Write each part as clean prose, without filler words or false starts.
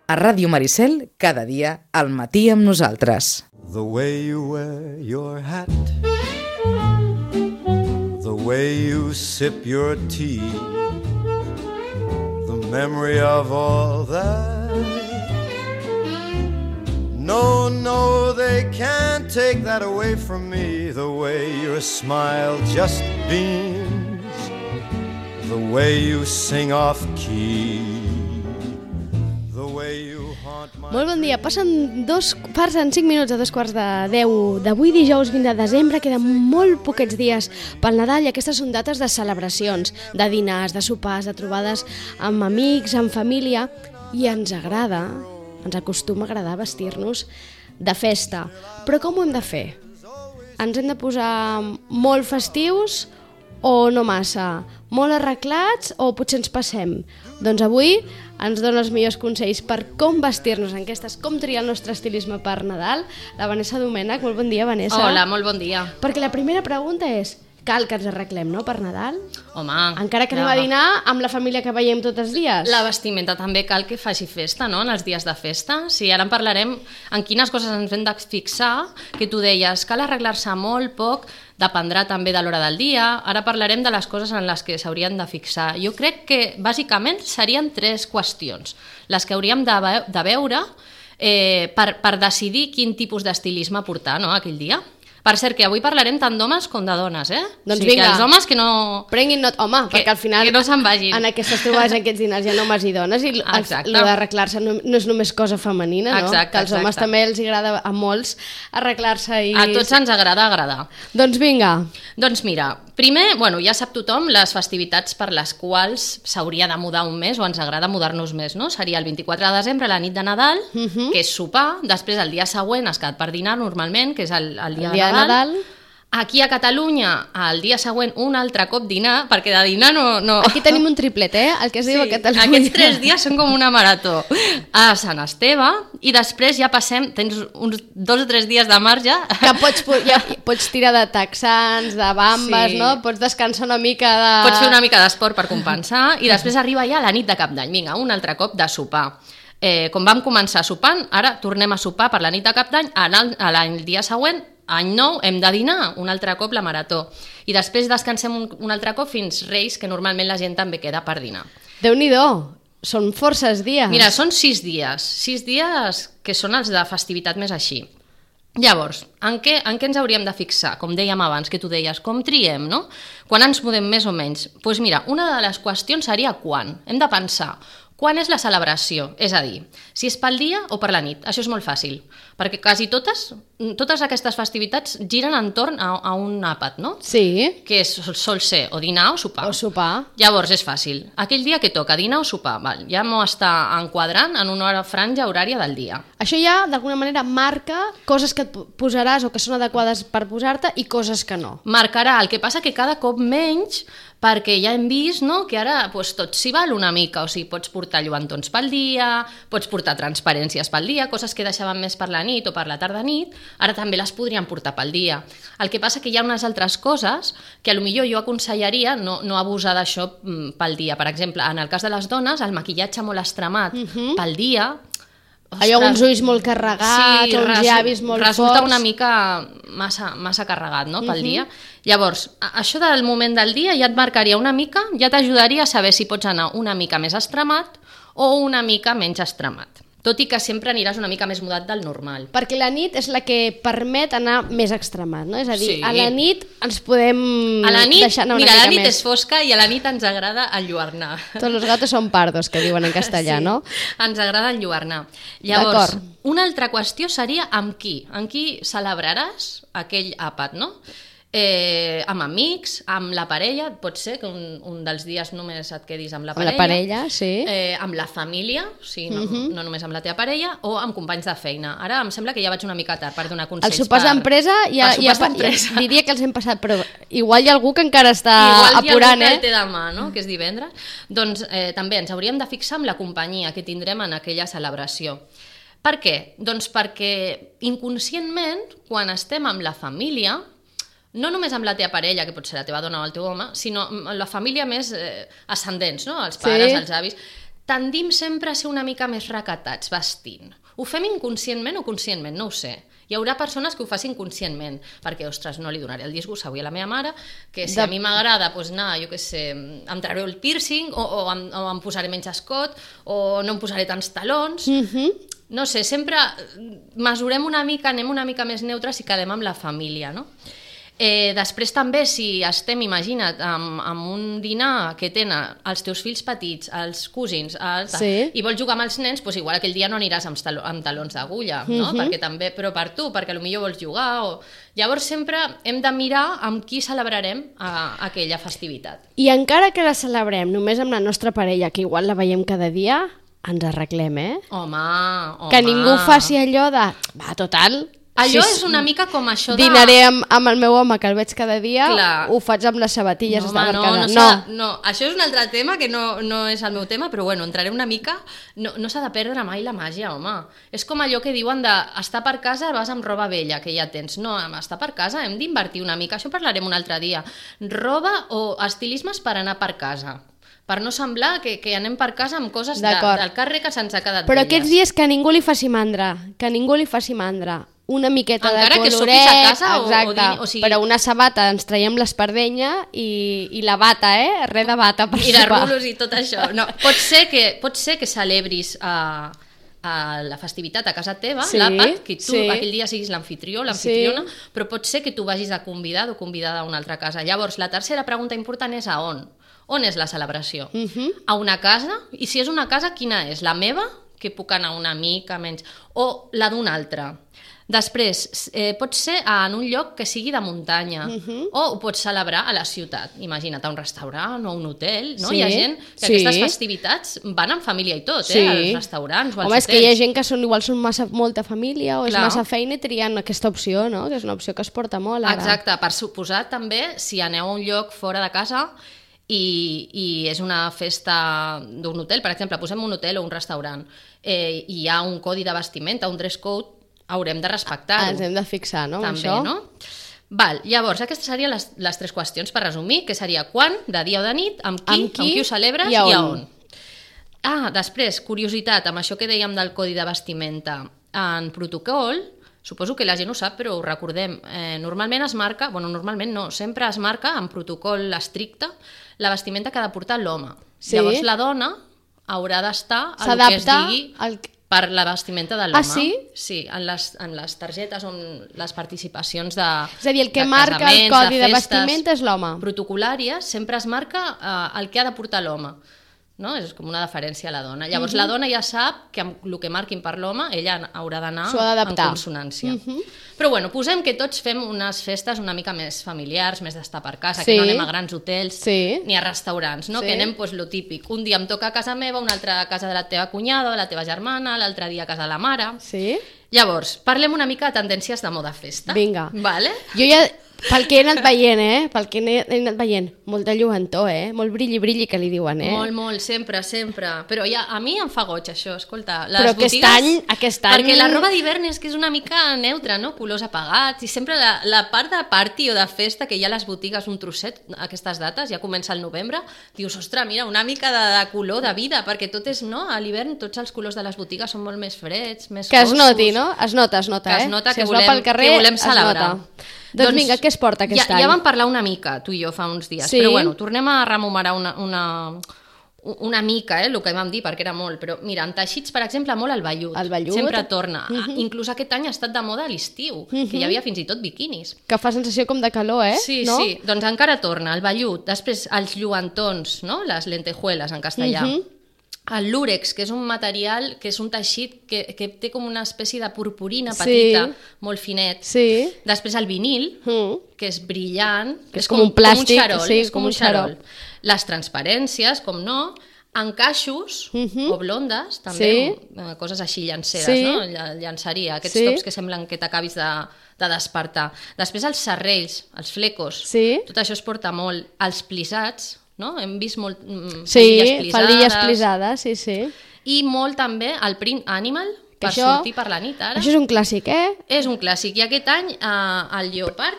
A Ràdio Maricel, cada dia, al matí amb nosaltres. The way you wear your hat, the way you sip your tea, the memory of all that. No, no, they can't take that away from me. The way your smile just beams, the way you sing off key, the way you haunt my... Molt bon dia, passen 5 minuts a 9:45 d'avui dijous 20 de desembre, queden molt poquets dies pel Nadal i aquestes són dates de celebracions, de dinars, de sopars, de trobades amb amics, amb família, i ens acostuma a agradar vestir-nos de festa. Però com ho hem de fer? Ens hem de posar molt festius o no massa? Molt arreglats o potser ens passem? Doncs avui ens dona els millors consells per com vestir-nos en aquestes, com triar el nostre estilisme per Nadal, la Vanessa Domènech. Molt bon dia, Vanessa. Hola, molt bon dia. Perquè la primera pregunta és, cal que ens arreglem, no?, per Nadal? Home... Encara que anem a dinar amb la família que veiem tots els dies. La vestimenta també cal que faci festa, no?, en els dies de festa. Sí, ara en parlarem en quines coses ens hem de fixar, que tu deies, cal arreglar-se molt, poc, dependrà també de l'hora del dia. Ara parlarem de les coses en les que s'haurien de fixar. Jo crec que, bàsicament, serien 3 qüestions, les que hauríem de veure per decidir quin tipus d'estilisme portar, no?, aquell dia. Per cert, que avui parlarem tant d'homes com de dones, Doncs vinga. Que els homes que no... Prenguin nota, home, perquè al final... Que no se'n vagin. En aquestes trobades, en aquests dinars, hi ha homes i dones, i d'arreglar-se no és només cosa femenina, no? Exacte, que als homes també els agrada a molts arreglar-se i... A tots ens agrada agradar. Doncs vinga. Doncs mira, primer, ja sap tothom les festivitats per les quals s'hauria de mudar un mes o ens agrada mudar-nos més, no? Seria el 24 de desembre, la nit de Nadal, que és sopar, després el dia següent has quedat per dinar normalment, que és el dia de Nadal. Aquí a Catalunya, el dia següent, un altre cop dinar, perquè de dinar no... Aquí tenim un triplet, el que es diu a Catalunya. Aquests 3 dies són com una marató. A Sant Esteve, i després ja passem, tens uns 2 o 3 dies de marge. Que pots tirar de texans, de bambes, no? Pots descansar una mica de... Pots fer una mica d'esport per compensar, i després arriba ja la nit de Cap d'Any. Vinga, un altre cop de sopar. Com vam començar sopant, ara tornem a sopar per la nit de Cap d'Any, el dia següent, any nou, hem de dinar un altre cop la marató. I després descansem un altre cop fins Reis, que normalment la gent també queda per dinar. Déu-n'hi-do, són forces dies. Mira, són 6 dies. 6 dies que són els de festivitat més així. Llavors, en què ens hauríem de fixar? Com dèiem abans, que tu deies, com triem, no? Quan ens mudem més o menys? Doncs mira, una de les qüestions seria quan. Hem de pensar, quan és la celebració? És a dir, si és pel dia o per la nit. Això és molt fàcil, perquè quasi totes aquestes festivitats giren entorn a un àpat, no? Sí. Que sol ser o dinar o sopar. O sopar. Llavors és fàcil. Aquell dia que toca, dinar o sopar, ja m'ho està enquadrant en una franja horària del dia. Això ja, d'alguna manera, marca coses que et posaràs o que són adequades per posar-te i coses que no. Marcarà, el que passa que cada cop menys, perquè ja hem vist, no?, que ara tot s'hi val una mica, o sigui, pots portar lluentons pel dia, pots portar transparències pel dia, coses que deixaven més per la nit o per la tarda-nit, ara també les podríem portar pel dia. El que passa que hi ha unes altres coses que potser jo aconsellaria no abusar d'això pel dia. Per exemple, en el cas de les dones, el maquillatge molt extremat pel dia... Ostres, allò, uns ulls molt carregats, sí, uns llavis molt forts... Resulta una mica massa carregat, no?, pel dia. Llavors, això del moment del dia ja et marcaria una mica, ja t'ajudaria a saber si pots anar una mica més extremat o una mica menys extremat. Tot i que sempre aniràs una mica més mudat del normal. Perquè la nit és la que permet anar més extremat, no? És a dir, sí. A la nit ens podem deixar anar una mica més. Mira, la nit és fosca i a la nit ens agrada enlluernar. Tots los gatos son pardos, que diuen en castellà, sí, no? Ens agrada enlluernar. Llavors, una altra qüestió seria amb qui. Amb qui celebraràs aquell àpat, no? Amb amics, amb la parella, pot ser que un dels dies només et quedis amb la parella. Amb la parella, sí. Amb la família, o sigui, no només amb la teva parella, o amb companys de feina. Ara em sembla que ja vaig una mica tard per donar consells. Els sopars d'empresa ja diria que els hem passat, però igual hi ha algú que encara està apurant, Igual hi ha algú que el té demà, no?, que és divendres. Doncs també ens hauríem de fixar amb la companyia que tindrem en aquella celebració. Per què? Doncs perquè inconscientment, quan estem amb la família, no només amb la teva parella, que pot ser la teva dona o el teu home, sinó amb la família més ascendents, no? Els pares, els avis, tendim sempre a ser una mica més recatats vestint. Ho fem inconscientment o conscientment, no ho sé. Hi haurà persones que ho facin conscientment, perquè, ostres, no li donaré el disgust avui a la meva mare, que si a mi m'agrada anar, jo què sé, em trauré el piercing, o em posaré menys escot, o no em posaré tants talons... No sé, sempre mesurem una mica, anem una mica més neutres i quedem amb la família, no? Després també, si estem, imagina't, amb un dinar que tenen els teus fills petits, els cosins, i vols jugar amb els nens, doncs igual aquell dia no aniràs amb talons d'agulla, no? Perquè també, però per tu, perquè potser vols jugar. Llavors sempre hem de mirar amb qui celebrarem aquella festivitat. I encara que la celebrem només amb la nostra parella, que igual la veiem cada dia, ens arreglem, Home. Que ningú faci allò de... Va, total... Allò és una mica com això de... Dinaré amb el meu home, que el veig cada dia, ho faig amb les sabatilles. No, això és un altre tema que no és el meu tema, però bueno, entraré una mica... No s'ha de perdre mai la màgia, home. És com allò que diuen d'estar per casa, vas amb roba vella, que ja tens. No, estar per casa hem d'invertir una mica, això parlarem un altre dia. Roba o estilismes per anar per casa, per no semblar que anem per casa amb coses del carrer que se'ns ha quedat però velles. Aquests dies que ningú li faci mandra, una miqueta encara de coloret, que sopis a casa exacte, o sigui... però una sabata ens traiem l'espardenya i la bata, res de bata per sopar. I de rulos i tot això. No, pot ser que celebris la festivitat a casa teva, l'àpat, que tu aquell dia siguis l'anfitrió, l'anfitriona, però pot ser que tu vagis de convidat o convidada a una altra casa. Llavors, la tercera pregunta important és a on? On és la celebració? A una casa? I si és una casa, quina és? La meva, que puc anar una mica menys, o la d'un altre? Després, pot ser en un lloc que sigui de muntanya, o ho pots celebrar a la ciutat. Imagina't, a un restaurant o un hotel, no? Hi ha gent que aquestes festivitats van en família i tot, als restaurants o als hotels. És que hi ha gent que són molta família o és massa feina i trien aquesta opció, no? Que és una opció que es porta molt ara. Exacte, per suposar també, si aneu a un lloc fora de casa i és una festa d'un hotel, per exemple, posem un hotel o un restaurant, i hi ha un codi de vestimenta, un dress code, haurem de respectar-ho. Ens hem de fixar, no? També, això? No? Val, llavors, aquestes serien les tres qüestions per resumir, que seria quan, de dia o de nit, amb qui ho celebres i a on. Després, curiositat, amb això que dèiem del codi de vestimenta, en protocol, suposo que la gent ho sap, però ho recordem, normalment es marca, normalment no, sempre es marca en protocol estricte la vestimenta que ha de portar l'home. Llavors la dona haurà d'estar al que es digui per la vestimenta de l'home. Ah, sí? Sí, en les targetes on les participacions de és a dir, el que marca el codi de vestimenta és l'home. Protocolàries, sempre es marca el que ha de portar l'home. No? És com una deferència a la dona. Llavors la dona ja sap que amb el que marquin per l'home ella haurà d'anar en consonància. Però bueno, posem que tots fem unes festes una mica més familiars, més d'estar per casa, que no anem a grans hotels ni a restaurants, no? Que anem lo típic. Un dia em toca a casa meva, un altre a casa de la teva cunyada, de la teva germana, l'altre dia a casa de la mare. Llavors, parlem una mica de tendències de moda festa. Vinga. Vale? Jo ja... Pel que he anat veient, molt de lluentor, molt brilli-brilli que li diuen, Molt, sempre. Però ja, a mi em fa goig això, escolta. Però aquest any... Perquè la roba d'hivern és que és una mica neutra, no? Colors apagats, i sempre la part de party o de festa, que hi ha a les botigues un trosset, aquestes dates, ja comença el novembre, dius, ostres, mira, una mica de color, de vida, perquè tot és, no? A l'hivern tots els colors de les botigues són molt més freds, més foscos. Que es noti, no? Es nota, que es nota, que volem celebrar. Doncs vinga, què es porta aquest any? Ja vam parlar una mica, tu i jo, fa uns dies, però bueno, tornem a rememorar una mica, el que vam dir, perquè era molt, però mira, en teixits, per exemple, molt el vellut. El vellut. Sempre torna. Inclús aquest any ha estat de moda a l'estiu, que hi havia fins i tot biquinis. Que fa sensació com de calor, Sí, no? Sí, doncs encara torna, el vellut. Després, els lluentons, no? Les lentejuelas, en castellà. El lúrex, que és un material, que és un teixit que té com una espècie de purpurina petita, molt finet. Després el vinil, que és brillant, que és com un plàstic, com un xarol. Les transparències, com no, encaixos o blondes, també, coses així llanceres, no? Llançaria, aquests tops que semblen que t'acabis de despertar. Després els serrells, els flecos, tot això es porta molt. Els plissats, no? Hem vist molt faldilles plissades, i molt també el print animal, per sortir per la nit ara. Això és un clàssic, És un clàssic, i aquest any el lleopard,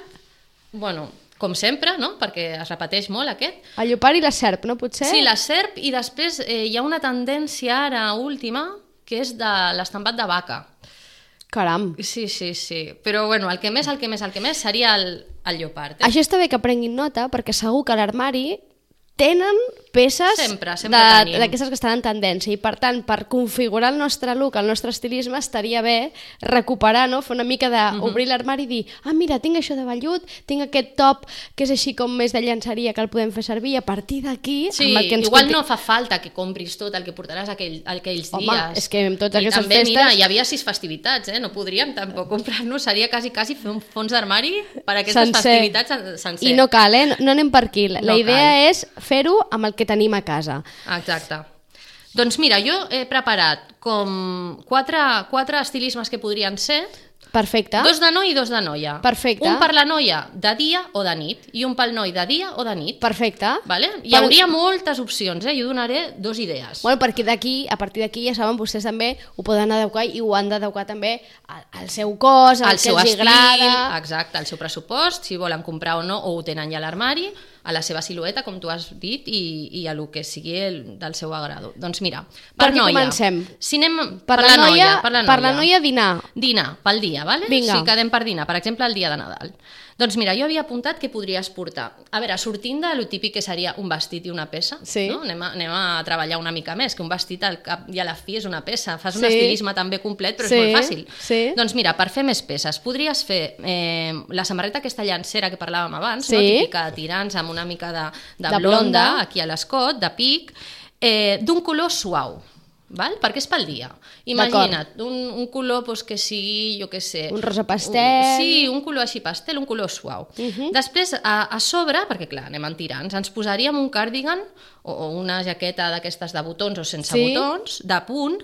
bueno, com sempre, no? Perquè es repeteix molt aquest. El lleopard i la serp, no, potser? Sí, la serp, i després hi ha una tendència ara última, que és de l'estampat de vaca. Caram. Sí. Però bueno, el que més seria el lleopard. Això està bé que prenguin nota, perquè segur que a l'armari tenen peces sempre tenim. d'aquestes que estan en tendència i per tant, per configurar el nostre look, el nostre estilisme, estaria bé recuperar, no? Fer una mica d'obrir l'armari i dir, mira, tinc això de vellut, tinc aquest top que és així com més de llenceria que el podem fer servir i a partir d'aquí... Sí, igual no fa falta que compris tot el que portaràs aquells dies. Home, és que amb totes aquestes també, festes... mira, hi havia 6 festivitats, no podríem tampoc comprar-nos, seria quasi fer un fons d'armari per a aquestes festivitats sencer. I no cal, no anem per aquí. La idea és fer-ho amb el que tenim a casa. Exacte. Doncs mira, jo he preparat com 4 estilismes que podrien ser. Perfecte. 2 de noi i 2 de noia. Perfecte. Un per la noia de dia o de nit i un pel noi de dia o de nit. Perfecte. Vale? Hi hauria moltes opcions, jo donaré 2 idees. Bueno, perquè a partir d'aquí ja saben, vostès també ho poden adequar i ho han d'adequar també al seu cos, al que els agrada. Exacte, al seu pressupost, si volen comprar o no, o ho tenen ja a l'armari, a la seva silueta, com tu has dit, i a lo que sigui del seu agrado. Doncs mira, per noia. Comencem? Si anem per la noia. Per la noia, dinar. Dinar, pel dia, vale? Vinga. Si quedem per dinar, per exemple, el dia de Nadal. Doncs mira, jo havia apuntat que podries portar. A veure, sortint de lo típic que seria un vestit i una peça, sí. No? Anem a treballar una mica més, que un vestit al cap i a la fi és una peça. Fas un estilisme també complet, però és molt fàcil. Sí. Doncs mira, per fer més peces, podries fer la samarreta aquesta llancera que parlàvem abans, no? Típica de tirants, amb una mica de blonda, aquí a l'escot, de pic, d'un color suau. Val? Perquè és pel dia. Imagina't, un color que sigui, jo què sé... Un rosa pastel... Sí, un color així pastel, un color suau. Després, a sobre, perquè clar, anem en tirants, ens posaríem un cardigan o una jaqueta d'aquestes de botons o sense botons, de punt,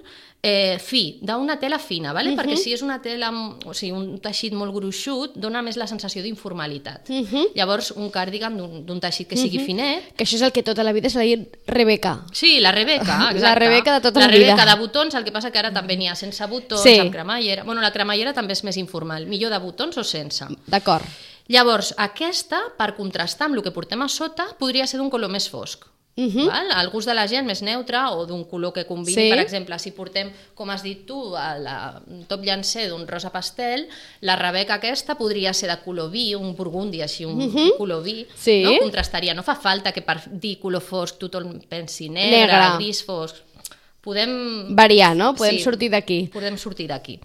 fi, d'una tela fina, vale? Perquè si és una tela, o sigui, un teixit molt gruixut, dona més la sensació d'informalitat. Llavors, un cardigan d'un teixit que sigui finet... Que això és el que tota la vida s'ha dit Rebeca. Sí, la Rebeca, exacte. La Rebeca de tota la vida. La Rebeca de botons, el que passa que ara també n'hi ha sense botons, amb cremallera... Bueno, la cremallera també és més informal, millor de botons o sense. D'acord. Llavors, aquesta, per contrastar amb el que portem a sota, podria ser d'un color més fosc. Val? El gust de la gent més neutre o d'un color que combini, per exemple, si portem, com has dit tu, el top llancer d'un rosa pastel, la Rebeca aquesta podria ser de color vi, un burgundi així, un color vi, no? Contrastaria. No fa falta que per dir color fosc tothom pensi negre, gris fosc. Podem variar, no? Podem sortir d'aquí. Podem sortir d'aquí.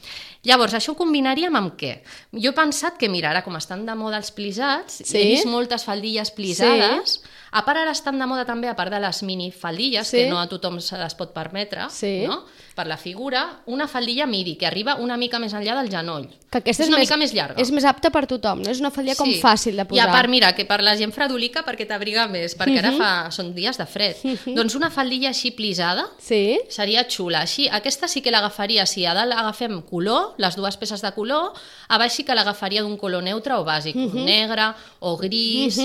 Llavors, això ho combinaríem amb què? Jo he pensat que, mira, ara com estan de moda els plisats, he vist moltes faldilles plisades, a part ara estan de moda també, a part de les minifaldilles, que no a tothom se les pot permetre, no? Per la figura, una faldilla midi, que arriba una mica més enllà del genoll. Que aquesta és una mica més llarga. És més apta per tothom, no? És una faldilla com fàcil de posar. I a part, mira, que per la gent fredulica perquè t'abriga més, perquè ara són dies de fred. Doncs una faldilla així plisada seria xula. Així, aquesta sí que l'agafaria, si a dalt agafem color, les dues peces de color, a baix sí que l'agafaria d'un color neutre o bàsic, negre o gris.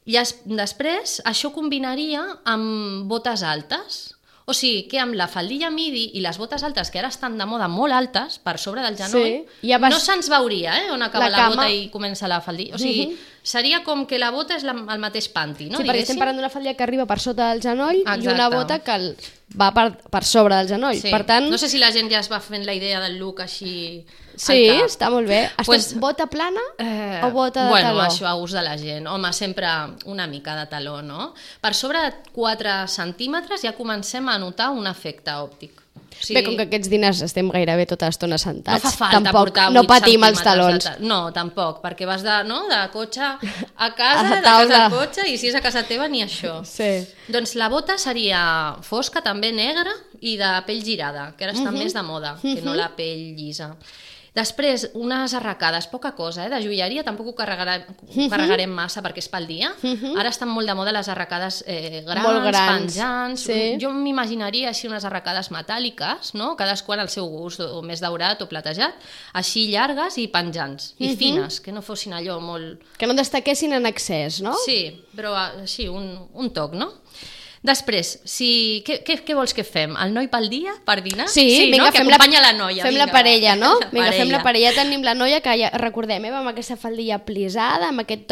I després això combinaria amb botes altes. O sigui, que amb la faldilla midi i les botes altes, que ara estan de moda molt altes, per sobre del genoll, no se'ns veuria on acaba la bota i comença la faldilla. O sigui, seria com que la bota és el mateix panty, no? Sí, perquè estem parlant d'una faldilla que arriba per sota del genoll i una bota que va per sobre del genoll. Per tant... No sé si la gent ja es va fent la idea del look així... Sí, està molt bé. Bota plana o bota de taló? Bueno, això a gust de la gent. Home, sempre una mica de taló, no? Per sobre de 4 centímetres ja comencem a notar un efecte òptic. Bé, com que aquests diners estem gairebé tota l'estona sentats, no fa falta portar 8 no patim els talons. No, tampoc, perquè vas de cotxe a casa, de casa al cotxe, i si és a casa teva ni això. Doncs la bota seria fosca, també negra, i de pell girada, que ara està més de moda, que no la pell llisa. Després, unes arracades, poca cosa, de joieria, tampoc ho carregarem massa perquè és pel dia. Ara estan molt de moda les arracades grans, penjants. Jo m'imaginaria així unes arracades metàl·liques, no? Cadascun al seu gust, o més daurat o platejat, així llargues i penjants, i fines, que no fossin allò molt... Que no destaquessin en excés, no? Sí, però així, un toc, no? Després, què vols que fem? El noi pel dia, per dinar? Sí, vinga, no? Que acompanya la noia. Fem la parella, no? Vinga, fem la parella. Tenim la noia que, ja, recordem, amb aquesta faldilla plisada, amb aquest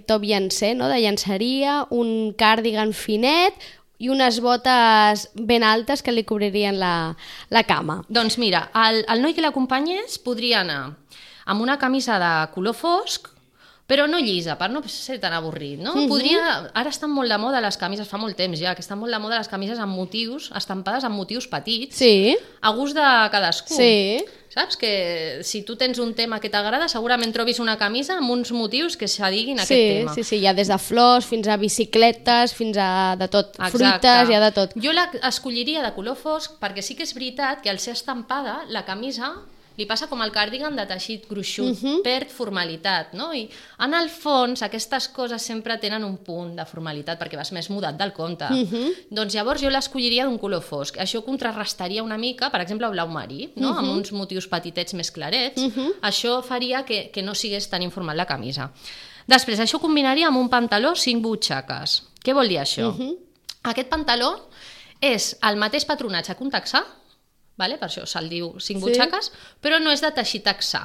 top llancer, no? De llanceria, un càrdigan finet i unes botes ben altes que li cobririen la cama. Doncs mira, el noi que l'acompanyés podria anar amb una camisa de color fosc, però no llisa, per no ser tan avorrit, no? Ara estan molt de moda les camises, fa molt temps ja, que estan molt de moda les camises amb motius, estampades amb motius petits, a gust de cadascú. Sí. Saps? Que si tu tens un tema que t'agrada, segurament trobis una camisa amb uns motius que s'adiguin a aquest tema. Sí, hi ha des de flors fins a bicicletes, fins a de tot, fruites, hi ha de tot. Jo l'escolliria de color fosc perquè sí que és veritat que al ser estampada, la camisa li passa com el càrdigan de teixit gruixut, perd formalitat, no? I en el fons aquestes coses sempre tenen un punt de formalitat perquè vas més mudat del compte. Doncs llavors jo l'escolliria d'un color fosc. Això contrarrestaria una mica, per exemple, blau marí, no? Amb uns motius petitets més clarets. Això faria que no sigués tan informal la camisa. Després, això combinaria amb un pantaló 5 butxaques. Què vol dir això? Aquest pantaló és el mateix patronatge que un texà, vale? Per això se'l diu 5 butxaques, però no és de teixit texà.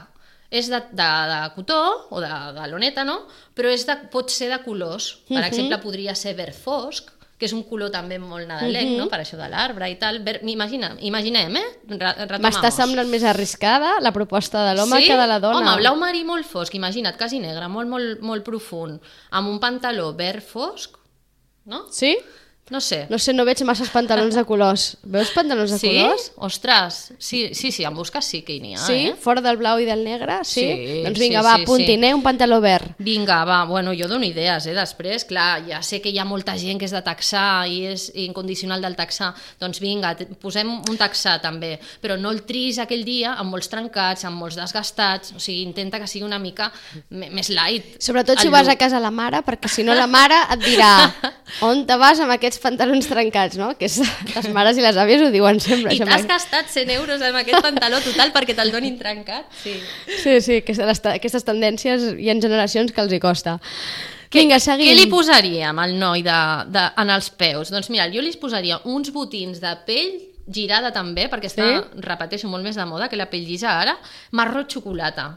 És de cotó o de loneta, no? Però pot ser de colors. Per exemple, podria ser verd fosc, que és un color també molt nadalenc, no? Per això de l'arbre i tal. Imaginem, M'està semblant més arriscada la proposta de l'home que de la dona. Home, blau marí molt fosc, imagina't, quasi negre, molt profund, amb un pantaló verd fosc, no? Sí? No sé. No veig masses pantalons de colors. Veus pantalons de colors? Ostres, sí, en busques sí que hi n'hi ha, Sí? Fora del blau i del negre? Sí? Doncs vinga, sí, apuntin, un pantaló verd. Vinga, bueno, jo dono idees, després, clar, ja sé que hi ha molta gent que és de texà i és incondicional del texà, doncs vinga, posem un texà també, però no el tris aquell dia amb molts trencats, amb molts desgastats, o sigui, intenta que sigui una mica més light. Sobretot si vas a casa la mare, perquè si no la mare et dirà on te vas amb aquests pantalons trencats, no? Que les mares i les àvies ho diuen sempre. I t'has gastat 100 euros amb aquest pantaló total perquè te'l donin trencat? Sí, aquestes tendències hi ha generacions que els hi costa. Vinga, seguim. Què li posaríem al noi en els peus? Doncs mira, jo li posaria uns botins de pell girada també, perquè està, repeteixo, molt més de moda que la pell llisa ara, marró xocolata.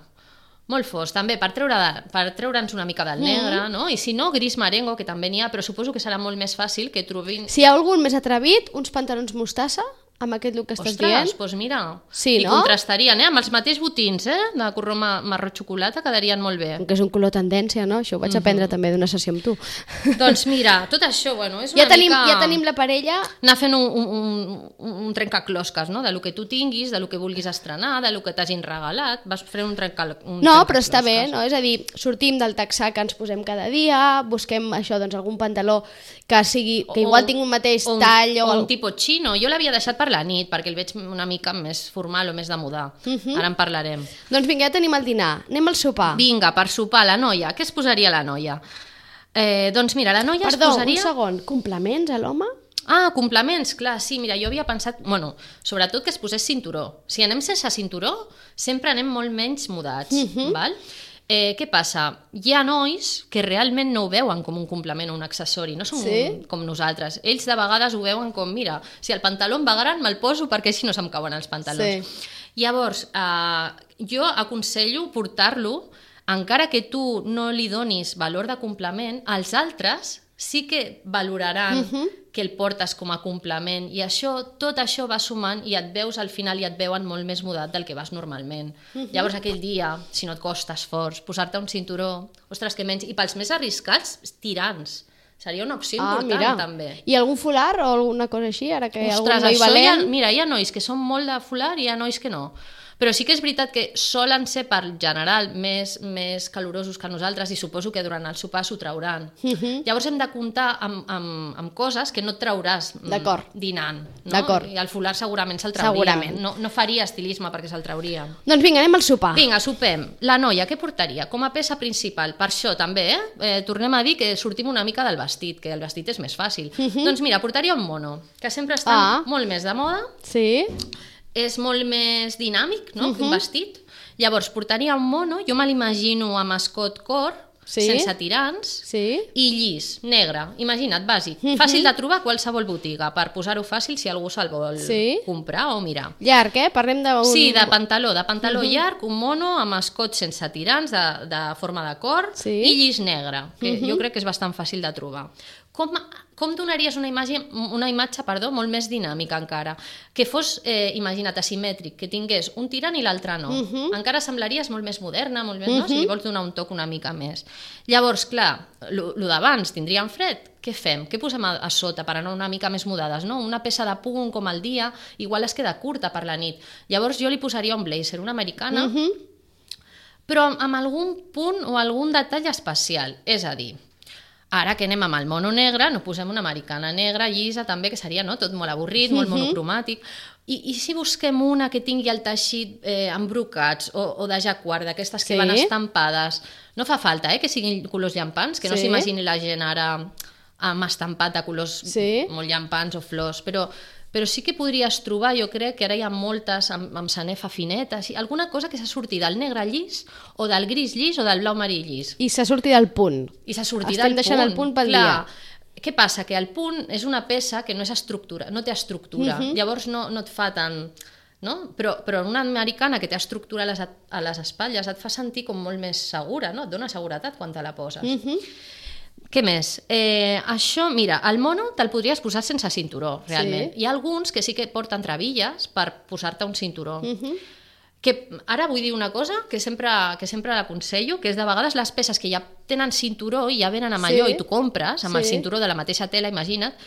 Molt fosc, també, per treure'ns una mica del negre, no? I si no, gris marengo, que també n'hi ha, però suposo que serà molt més fàcil que trobin... Si hi ha algun més atrevit, uns pantalons mostassa, amb aquest look que estàs dient. Ostres, doncs mira, sí, i contrastarien, amb els mateixos botins, de color marró xocolata, quedarien molt bé. Que és un color tendència, no? Això ho vaig aprendre també d'una sessió amb tu. Doncs mira, tot això, bueno, és una mica... Ja tenim la parella... Anar fent un trencaclosques, no? De lo que tu tinguis, de lo que vulguis estrenar, de lo que t'hagin regalat, vas fer un trencaclosques. No, però està bé, no? És a dir, sortim del texà que ens posem cada dia, busquem això, doncs algun pantaló que sigui, que igual tingui un mateix tall o... un tipus chino. Jo l'havia deixat per la nit, perquè el veig una mica més formal o més de moda. Ara en parlarem. Doncs vinga, ja tenim el dinar. Anem al sopar. Vinga, per sopar, la noia. Què es posaria la noia? Doncs mira, la noia es posaria... un segon. Complements a l'home? Ah, complements, clar, sí, mira, jo havia pensat, bueno, sobretot que es posés cinturó. Si anem sense cinturó, sempre anem molt menys mudats, val? Què passa? Hi ha nois que realment no ho veuen com un complement o un accessori, no són com nosaltres. Ells de vegades ho veuen com, mira, si el pantaló em va gran me'l poso perquè així no se'm cauen els pantalons. Llavors, jo aconsello portar-lo, encara que tu no li donis valor de complement, els altres sí que valoraran que el portes com a complement i tot això va sumant i et veus al final i et veuen molt més mudat del que vas normalment. Llavors aquell dia, si no et costa esforç, posar-te un cinturó, ostres, que menys. I pels més arriscats, tirants. Seria una opció important, també. I algun folar o alguna cosa així? Ara que ostres, algun noi valent... Mira, hi ha nois que són molt de folar i hi ha nois que no. Però sí que és veritat que solen ser, per general, més calorosos que nosaltres i suposo que durant el sopar s'ho trauran. Llavors hem de comptar amb coses que no et trauràs dinant. No? I el folar segurament se'l trauria. No faria estilisme perquè se'l trauria. Doncs vinga, anem al sopar. Vinga, sopem. La noia, què portaria? Com a peça principal. Per això també, tornem a dir que sortim una mica del vestit, que el vestit és més fàcil. Doncs mira, portaria un mono, que sempre està molt més de moda. Sí. És molt més dinàmic, no?, que un vestit. Llavors, portaria un mono, jo me l'imagino amb escot cor, sense tirants i llis, negre. Imagina't, bàsic. Fàcil de trobar a qualsevol botiga, per posar-ho fàcil si algú se'l vol comprar o mirar. Llarg, Parlem d'un... Sí, de pantaló llarg, un mono amb escot sense tirants, de forma de cor, i llis negre, que jo crec que és bastant fàcil de trobar. Com donaries una imatge molt més dinàmica encara? Que fos, imagina't, asimètric, que tingués un tirant i l'altre no. Encara semblaries molt més moderna, molt més, no? Si li vols donar un toc una mica més. Llavors, clar, lo d'abans, tindríem fred? Què fem? Què posem a sota per anar una mica més mudades? No? Una peça de punt com el dia, igual es queda curta per la nit. Llavors jo li posaria un blazer, una americana, però amb algun punt o algun detall especial. És a dir, ara que anem amb el mono negre, no posem una americana negra, llisa, també, que seria tot molt avorrit, molt monocromàtic. I si busquem una que tingui el teixit amb brocats o de jacquard, d'aquestes que van estampades? No fa falta que siguin colors llampants, que no s'imagini la gent ara amb estampat de colors molt llampants o flors, però sí que podries trobar, jo crec que ara hi ha moltes amb sanefa fineta, alguna cosa que s'ha sortit del negre llis o del gris llis o del blau marí llis. I s'ha sortit del punt. Estem deixant el punt pel dia. Què passa? Que el punt és una peça que no té estructura, llavors no et fa tant... No? Però una americana que té estructura a les espatlles et fa sentir com molt més segura, no? Et dona seguretat quan te la poses. Què més? Això, mira, el mono te'l podries posar sense cinturó, realment. Hi ha alguns que sí que porten trebilles per posar-te un cinturó. Que ara vull dir una cosa que sempre l'aconsello, que és de vegades les peces que ja tenen cinturó i ja venen amb allò i tu compres, amb el cinturó de la mateixa tela, imagina't,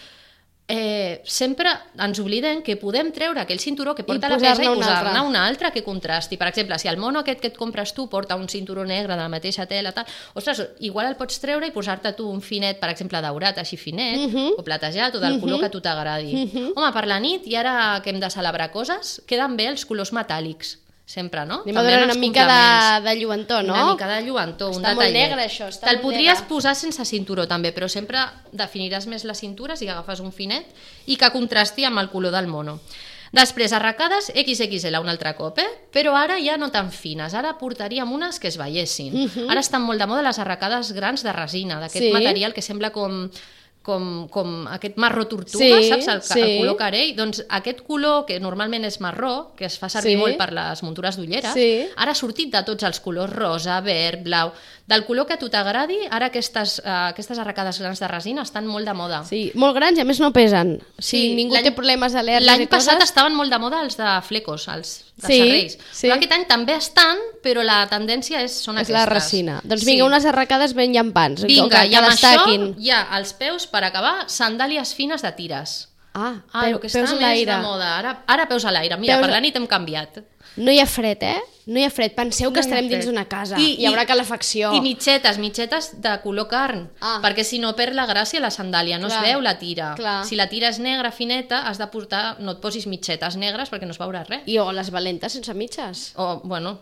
sempre ens oblidem que podem treure aquell cinturó que porta la peça i posar-ne un altre que contrasti. Per exemple, si el mono aquest que et compres tu porta un cinturó negre de la mateixa tela, ostres, igual el pots treure i posar-te tu un finet, per exemple, daurat, així finet, o platejat, o del color que a tu t'agradi. Home, per la nit, i ara que hem de celebrar coses, queden bé els colors metàl·lics. Sempre, no? Anem a donar una mica de lluentor, no? Una mica de lluentor, un detallet. Està molt negre, això. Te'l podries posar sense cinturó, també, però sempre definiràs més les cintures i agafes un finet i que contrasti amb el color del mono. Després, arracades XXL un altre cop, però ara ja no tan fines. Ara portaríem unes que es veiessin. Ara estan molt de moda les arracades grans de resina, d'aquest material que sembla com aquest marró tortuga, saps? El color carell. Doncs aquest color, que normalment és marró, que es fa servir molt per les muntures d'ulleres, ara ha sortit de tots els colors, rosa, verd, blau. Del color que a tu t'agradi, ara aquestes arracades grans de resina estan molt de moda. Sí, molt grans i a més no pesen. Ningú té problemes al·lèrgics. L'any passat estaven molt de moda els de flecos, els de serrells. Però aquest any també estan, però la tendència són aquestes. És la resina. Doncs vinga, unes arracades ben llampants. Vinga, i amb això hi ha als peus, per acabar, sandàlies fines de tires. El que està més de moda. Ara peus a l'aire. Mira, per la nit hem canviat. No hi ha fred, No hi ha fred. Penseu que estarem dins d'una casa. Hi haurà calefacció. I mitgetes de color carn. Perquè si no perd la gràcia la sandàlia. No es veu la tira. Si la tira és negra, fineta, has de portar... No et posis mitgetes negres perquè no es veurà res. O les valentes sense mitges.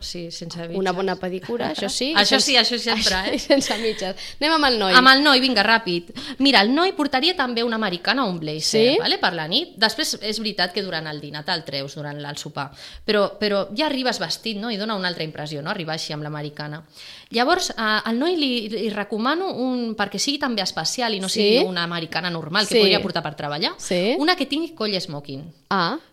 Sí, sense mitges. Una bona pedicura, això sí. Això sempre, sense mitges. Anem amb el noi. Amb el noi, vinga, ràpid. Mira, el noi portaria també una americana o un blazer, per la nit. Després és veritat que durant el dinar te'l treus, durant el sopar. Però ja arribes vestit, no? I dona una altra impressió, no? Arribar així amb l'americana. Llavors, al noi li recomano perquè sigui també especial i no sigui una americana normal que podria portar per treballar, una que tingui coll smoking.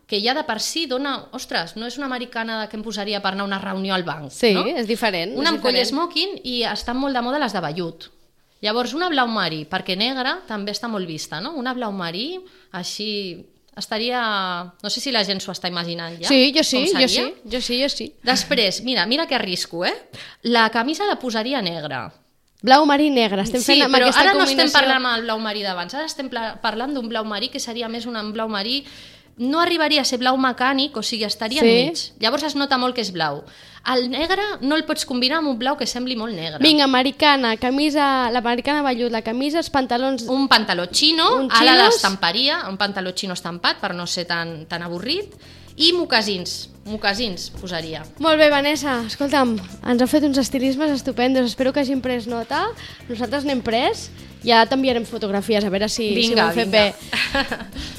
Que ja de per si dona... Ostres, no és una americana que em posaria per anar a una reunió al banc, no? És diferent. Una amb coll smoking i estan molt de moda les de vellut. Llavors, una blau marí, perquè negra també està molt vista, no? Una blau marí, així... Estaria... No sé si la gent s'ho està imaginant ja. Sí, jo sí. Després, mira que arrisco, La camisa la posaria negra. Blau marí negre, estem fent amb aquesta combinació. Ara no estem parlant amb el blau marí d'abans, ara estem parlant d'un blau marí que seria més un blau marí... No arribaria a ser blau mecànic, o sigui, estaria enmig. Llavors es nota molt que és blau. El negre no el pots combinar amb un blau que sembli molt negre. Vinga, americana, l'americana vellut, la camisa, els pantalons... Un pantaló xino, ala l'estamparia, un pantaló xino estampat per no ser tan avorrit, i mocasins posaria. Molt bé, Vanessa, escolta'm, ens ha fet uns estilismes estupendos, espero que hagin pres nota, nosaltres n'hem pres, ja t'enviarem fotografies, a veure si ho hem fet bé.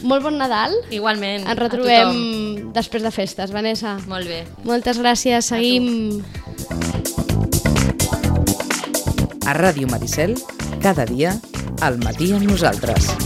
Molt bon Nadal. Igualment, ens retrobem després de festes, Vanessa. Molt bé. Moltes gràcies, seguim... A Ràdio Maricel, cada dia, al matí amb nosaltres.